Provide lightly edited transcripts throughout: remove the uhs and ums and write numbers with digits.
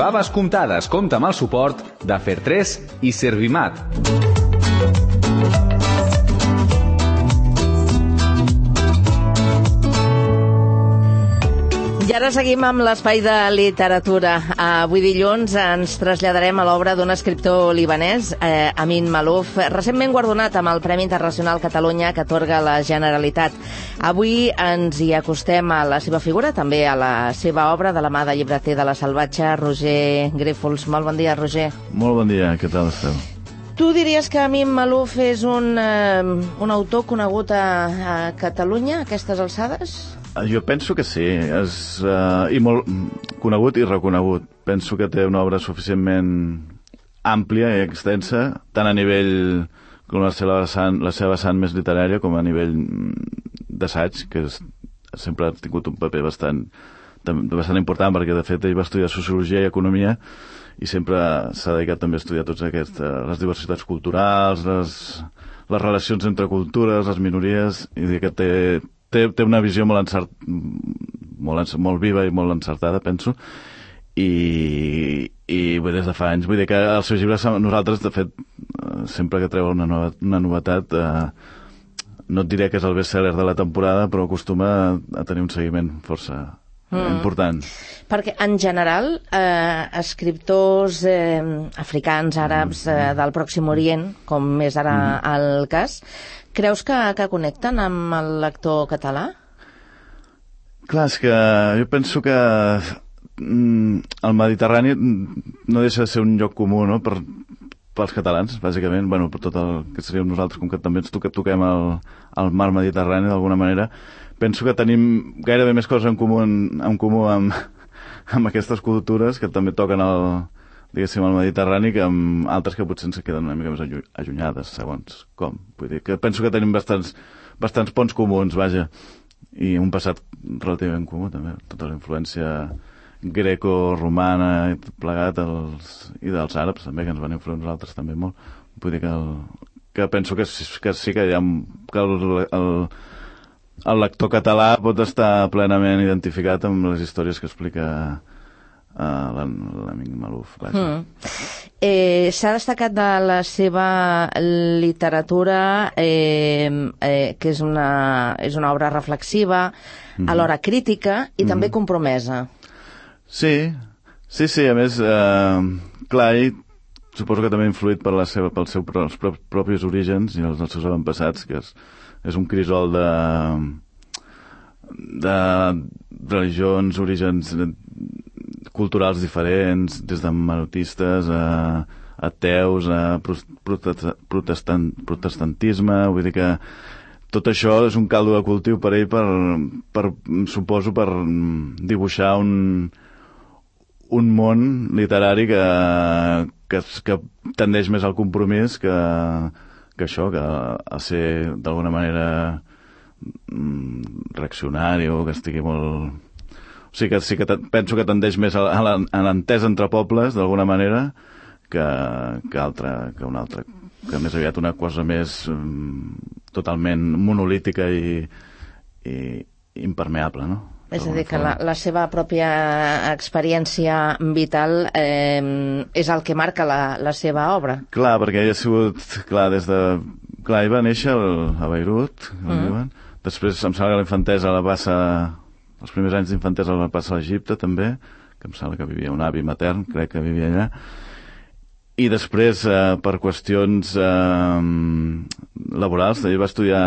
Faves comptades compta amb el suport de Fer3 i Servimat. I ara seguim amb l'espai de literatura. Avui dilluns ens traslladarem a l'obra d'un escriptor libanès, Amin Maalouf, recentment guardonat amb el Premi Internacional Catalunya que atorga la Generalitat. Avui ens hi acostem a la seva figura, també a la seva obra, de la mà de llibreter de La Salvatge, Roger Grífols. Molt bon dia, Roger. Molt bon dia, què tal esteu? Tu diries que Amin Maalouf és un autor conegut a Catalunya a aquestes alçades? Jo penso que sí, i molt conegut i reconegut. Penso que té una obra suficientment àmplia i extensa, tant a nivell com la seva vessant més literària com a nivell d'assaig, que sempre ha tingut un paper bastant important, perquè de fet ell va estudiar Sociologia i Economia i sempre s'ha dedicat també a estudiar totes les diversitats culturals, les relacions entre cultures, les minories, i dir que té una visió molt viva i molt encertada, penso, i des de fa anys. Vull dir que els seus llibres, nosaltres, de fet, sempre que treu una novetat, no et diré que és el best-seller de la temporada, però acostuma a tenir un seguiment força important. Perquè, en general, escriptors africans, àrabs, del Pròxim Orient, com és ara el cas, creus que connecten amb el lector català? Clar, és que jo penso que el Mediterrani no deixa de ser un lloc comú, no?, pels catalans, bàsicament, bueno, per tot el que seríem nosaltres, com que també ens toquem el mar Mediterrani d'alguna manera. Penso que tenim gairebé més coses en comú amb aquestes cultures que també toquen el Mediterrani, que amb altres que potser ens queden una mica més allunyades, segons com. Vull dir que penso que tenim bastants ponts comuns, vaja, i un passat relativament comú, també. Tota la influència greco-romana i tot plegat, i dels àrabs, també, que ens van influir nosaltres també molt. Vull dir que penso que sí que hi ha... que el lector català pot estar plenament identificat amb les històries que explica l'Amin Maalouf. S'ha destacat de la seva literatura que és una obra reflexiva, alhora crítica i també compromesa. Sí, a més, clar, ell suposo que també ha influït pels seus propis orígens i els seus avantpassats, que és un crisol de religions, orígens culturals diferents, des de menotistes a ateus, a protestantisme. Vull dir que tot això és un caldo de cultiu per ell suposo, per dibuixar un món literari que tendeix més al compromís que això, que a ser d'alguna manera reaccionari o que estigui molt... O sigui que sí que penso que tendeix més a l'entesa entre pobles, d'alguna manera, que una altra, que més aviat una cosa més totalment monolítica i impermeable, no? És a dir, que la seva pròpia experiència vital és el que marca la seva obra. Clar, perquè ell ha sigut... Clar, ell va néixer a Beirut, després em sembla que la infantesa la passa... Els primers anys d'infantesa la passa a l'Egipte, també, que em sembla que vivia un avi matern, crec que vivia allà. I després, per qüestions laborals, ell va estudiar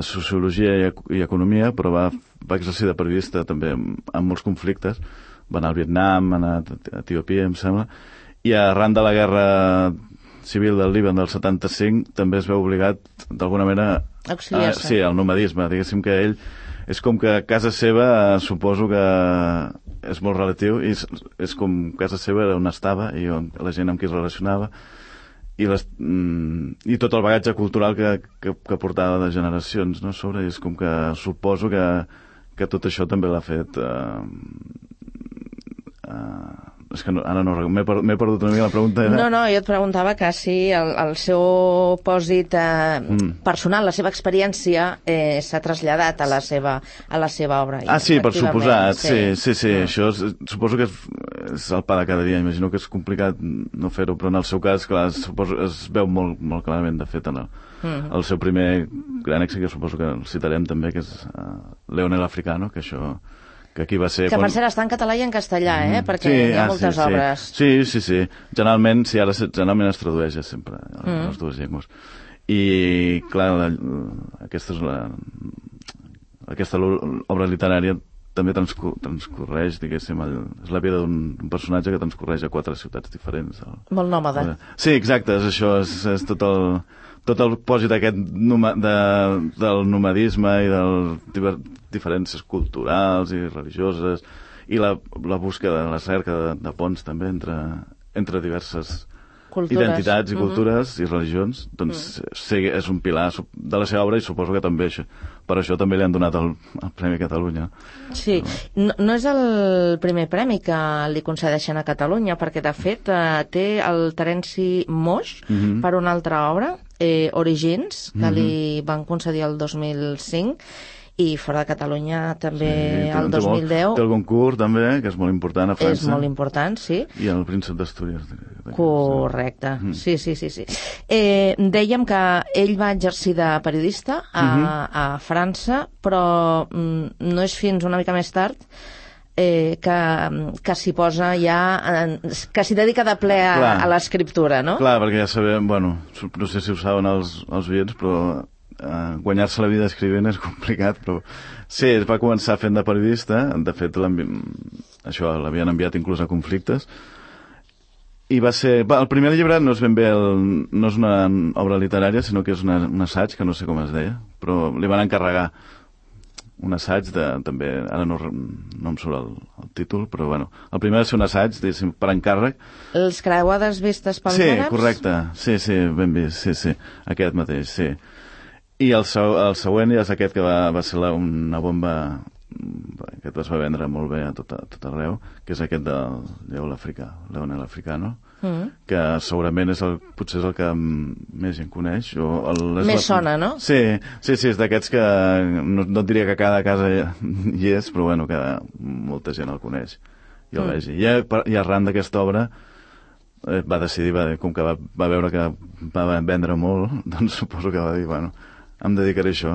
Sociologia i Economia, però va exercir de periodista també amb molts conflictes. Va anar al Vietnam, va anar a Etiòpia, em sembla, i arran de la guerra civil del Líban del 75 també es veu obligat, d'alguna manera, auxiliar-se. Al nomadisme. Diguéssim que ell és com que casa seva, suposo que és molt relatiu, i és com casa seva on estava i on la gent amb qui es relacionava, i tot el bagatge cultural que portava de generacions, no, sobre, i és com que suposo que tot això també l'ha fet és que ara no m'he perdut una mica la pregunta. No, jo et preguntava que si el seu pòsit personal, la seva experiència s'ha traslladat a la seva obra. Sí, per suposat, sí. Això suposo que és el pa de cada dia. Imagino que és complicat no fer-ho, però en el seu cas, clar, suposo es veu molt, molt clarament, de fet, en el seu primer gran èxit, que suposo que el citarem també, que és Leonel Africano, que aquí va ser... Que per cert està en català i en castellà, perquè hi ha moltes obres. Sí. Generalment es tradueix sempre a les dues llengües. I, clar, aquesta obra literària també transcorreix, diguéssim, és la vida d'un personatge que transcorreix a 4 ciutats diferents. Molt nòmada. Sí, exacte, és això, és tot el pòsit aquest del nomadisme i de diferències culturals i religioses i la búsqueda, la cerca de ponts també entre diverses identitats i cultures i religions. Doncs és un pilar de la seva obra i suposo que també per això també li han donat el Premi Catalunya. Sí, no és el primer premi que li concedeixen a Catalunya, perquè de fet té el Terenci Moix per una altra obra, Origins, que li van concedir el 2005, i fora de Catalunya també el 2010. Té el Goncourt també, que és molt important a França. És molt important, sí. I el Príncep d'Astúries. Correcte, sí. Dèiem que ell va exercir de periodista a França, però no és fins una mica més tard que s'hi posa ja, que s'hi dedica de ple a l'escriptura, no? Clar, perquè ja sabem, no sé si ho saben els oients, però guanyar-se la vida escrivint és complicat, però sí, es va començar fent de periodista, de fet això l'havien enviat inclús a conflictes, i va ser... el primer llibre no és ben bé no és una obra literària, sinó que és un assaig, que no sé com es deia, però li van encarregar un assaig també, ara no em surt el títol, però el primer va ser un assaig, diguéssim, per encàrrec. Els creuades vistes pels àrabs? Sí, correcte, sí, ben vist, sí, aquest mateix, sí. I el següent és aquest que va ser una bomba, aquest es va vendre molt bé a tot arreu, que és aquest del Leonel Africano, que segurament potser és el que més gent coneix. Més sona, no? Sí, és d'aquests que no et diria que cada casa hi és, però que molta gent el coneix i el vegi. I arran d'aquesta obra va decidir, com que va veure que va vendre molt, doncs suposo que va dir, em dedicaré a això.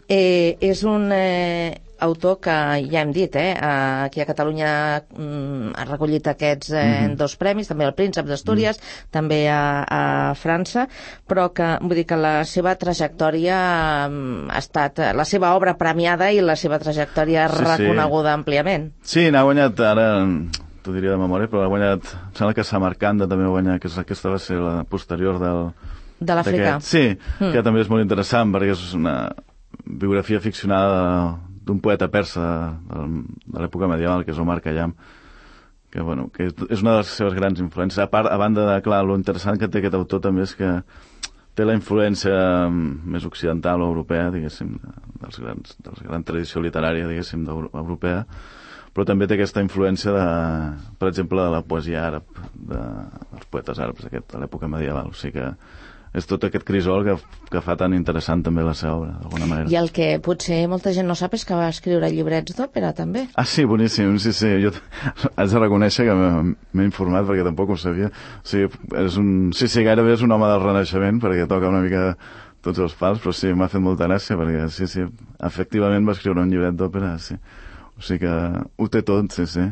És un autor que, ja hem dit, aquí a Catalunya ha recollit aquests 2 premis, també el Príncep d'Astúries, també a França, però que, vull dir que la seva trajectòria ha estat, la seva obra premiada i la seva trajectòria reconeguda àmpliament. Sí, n'ha guanyat, ara t'ho diria de memòria, però ha guanyat, em sembla que Samarcanda també va guanyar, que aquesta va ser la posterior de l'Àfrica. Sí, que també és molt interessant perquè és una biografia ficcionada d'un poeta persa de l'època medieval, que és Omar Khayyam, que és una de les seves grans influències. A banda de, clar, lo interessant que té aquest autor també és que té la influència més occidental o europea, diguéssim, de la gran tradició literària, diguéssim, europea, però també té aquesta influència, per exemple, de la poesia àrab, dels poetes àrabs de l'època medieval. O sigui que és tot aquest crisol que fa tan interessant també la seva obra, d'alguna manera. I el que potser molta gent no sap és que va escriure llibrets d'òpera, també. Sí, boníssim, sí. Jo haig de reconèixer que m'he informat perquè tampoc ho sabia. O sigui, gairebé és un home del Renaixement perquè toca una mica tots els pals, però sí, m'ha fet molta gràcia perquè, sí, efectivament va escriure un llibret d'òpera, sí. O sigui que ho té tot, sí.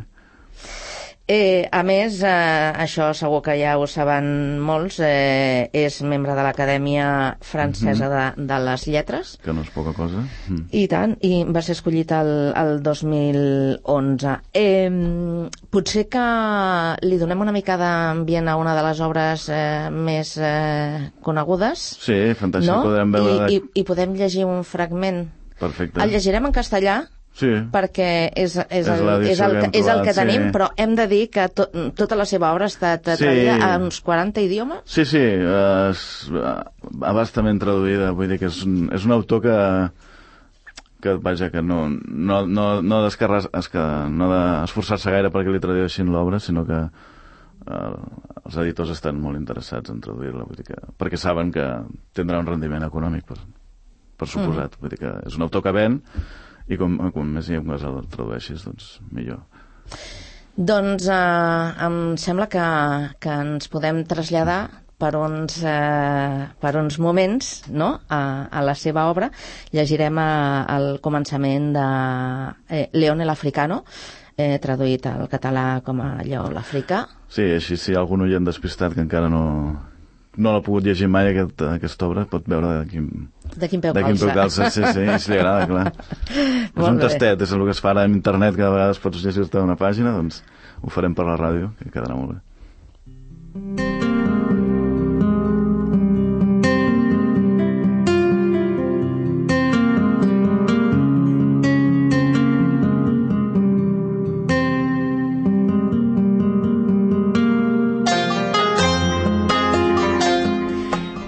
A més, això segur que ja ho saben molts, és membre de l'Acadèmia Francesa de les Lletres. Que no és poca cosa. I tant, i va ser escollit el 2011. Potser que li donem una mica d'ambient a una de les obres més conegudes. Sí, fantàstic, no? Podrem veure... I podem llegir un fragment. Perfecte. El llegirem en castellà, sí, perquè és el que tenim, però hem de dir que tota la seva obra ha estat traduïda a uns 40 idiomes. Sí, abastament traduïda, vull dir que és un autor vaja, que no d'esforçar-se gaire perquè li tradueixin l'obra, sinó que els editors estan molt interessats en traduir-la, vull dir que, perquè saben que tindrà un rendiment econòmic, per suposat. Vull dir que és un autor que ven i com més llengües el tradueixis, doncs millor. Doncs em sembla que ens podem traslladar per uns moments, no?, a la seva obra. Llegirem el començament de León el Africano, traduït al català com a Lleó l'Àfrica. Sí, així si hi ha algun oient despistat que encara no l'ha pogut llegir mai aquesta obra, pot veure de quin peu calça. Sí, si li agrada, clar. És un tastet, és el que es fa ara en internet, que a vegades pots llegir-te una pàgina, doncs ho farem per la ràdio, que quedarà molt bé.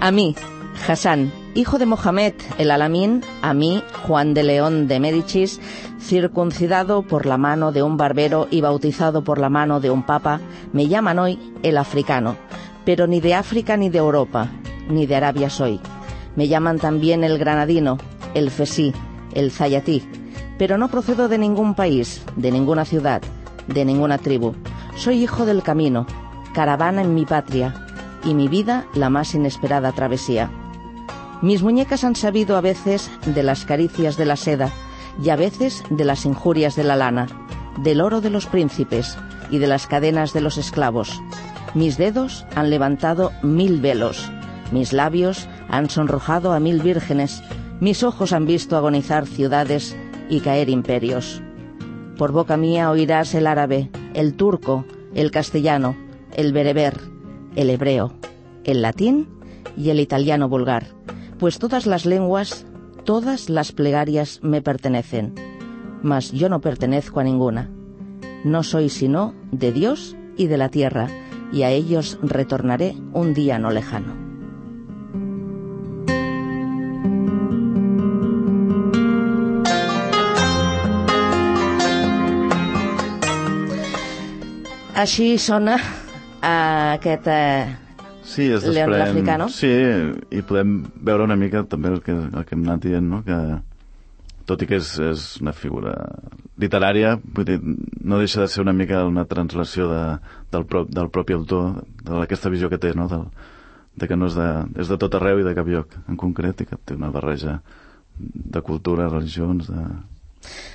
A mí, Hassan, hijo de Mohamed el Alamín, a mí, Juan de León de Médicis, circuncidado por la mano de un barbero y bautizado por la mano de un papa, me llaman hoy el africano, pero ni de África ni de Europa, ni de Arabia soy. Me llaman también el granadino, el fesí, el zayatí, pero no procedo de ningún país, de ninguna ciudad, de ninguna tribu. Soy hijo del camino, caravana en mi patria, y mi vida la más inesperada travesía. Mis muñecas han sabido a veces de las caricias de la seda y a veces de las injurias de la lana, del oro de los príncipes y de las cadenas de los esclavos. Mis dedos han levantado 1000 velos, mis labios han sonrojado a 1000 vírgenes, mis ojos han visto agonizar ciudades y caer imperios. Por boca mía oirás el árabe, el turco, el castellano, el bereber, el hebreo, el latín y el italiano vulgar, pues todas las lenguas, todas las plegarias me pertenecen, mas yo no pertenezco a ninguna. No soy sino de Dios y de la tierra, y a ellos retornaré un día no lejano. Així sona aquest sí, León l'Africano. Sí, i podem veure una mica també el que hem anat dient, no? Que tot i que és una figura literària, vull dir, no deixa de ser una mica una translació del propi autor, d'aquesta visió que té, no? De que no és de tot arreu i de cap lloc en concret, i que té una barreja de cultura, religions,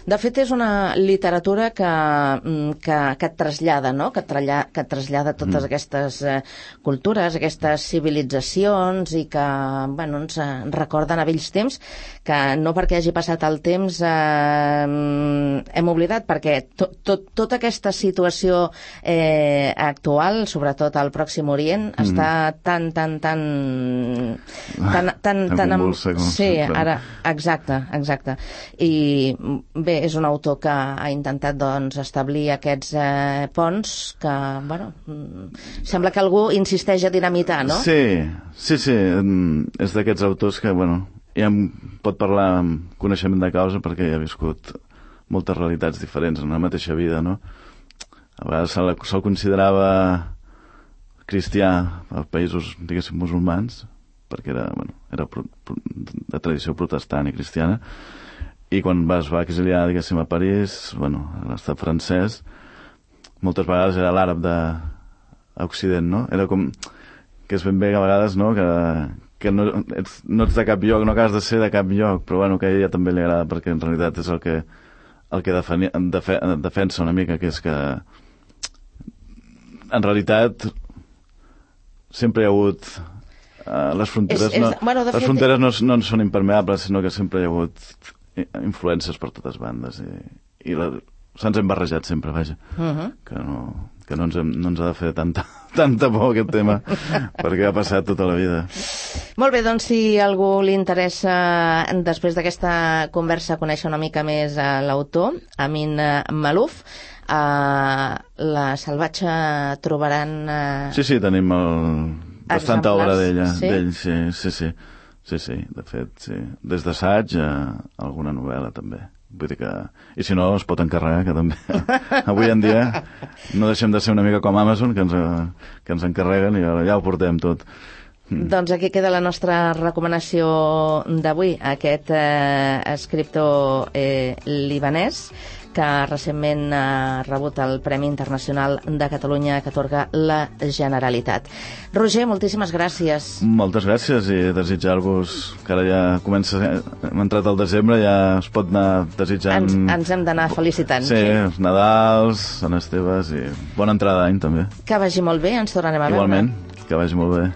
De fet, és una literatura que et trasllada, no? Que et trasllada totes aquestes cultures, aquestes civilitzacions, i que, bueno, ens recorden a vells temps que no perquè hagi passat el temps hem oblidat, perquè tota aquesta situació actual, sobretot al Pròxim Orient, està tan convulsa, sí, ara, exacte. I bé, és un autor que ha intentat, doncs, establir aquests ponts que, bueno, sembla que algú insisteix a dinamitar, no? Sí, és d'aquests autors que, bueno, ja pot parlar amb coneixement de causa perquè ja ha viscut moltes realitats diferents en la mateixa vida, no? A vegades se'l considerava cristià als països, diguéssim, musulmans, perquè era de tradició protestant i cristiana, i quan es va exiliar, diguéssim, a París, bueno, a l'estat francès, moltes vegades era l'àrab d'Occident, no? Era com que és ben bé a vegades, no?, que no ets de cap lloc, no acabes de ser de cap lloc, però bueno, que a ella també li agrada, perquè en realitat és el que defensa una mica, que és que en realitat sempre hi ha hagut les fronteres no són impermeables, sinó que sempre hi ha hagut influències per totes bandes i se'ns hem barrejat sempre, vaja. Que no ens ha de fer tanta por aquest tema, perquè ha passat tota la vida. Molt bé, doncs si a algú li interessa, després d'aquesta conversa, conèixer una mica més l'autor, Amin Maalouf, a la Salvatge trobaran... Sí, tenim bastanta obra d'ell, sí. Sí, de fet, sí. Des d'assaig a alguna novel·la, també. Vull dir que... I si no, es pot encarregar, que també... Avui en dia no deixem de ser una mica com Amazon, que ens encarreguen i ja ho portem tot. Doncs aquí queda la nostra recomanació d'avui, aquest escriptor libanès que recentment ha rebut el Premi Internacional de Catalunya que atorga la Generalitat. Roger, moltíssimes gràcies. Moltes gràcies i desitjar-vos que ara ja hem entrat al desembre, ja es pot anar desitjant... Ens hem d'anar felicitant. Sí, els Nadals, Sant Esteves i bona entrada d'any també. Que vagi molt bé, ens tornarem a veure. Igualment, que vagi molt bé.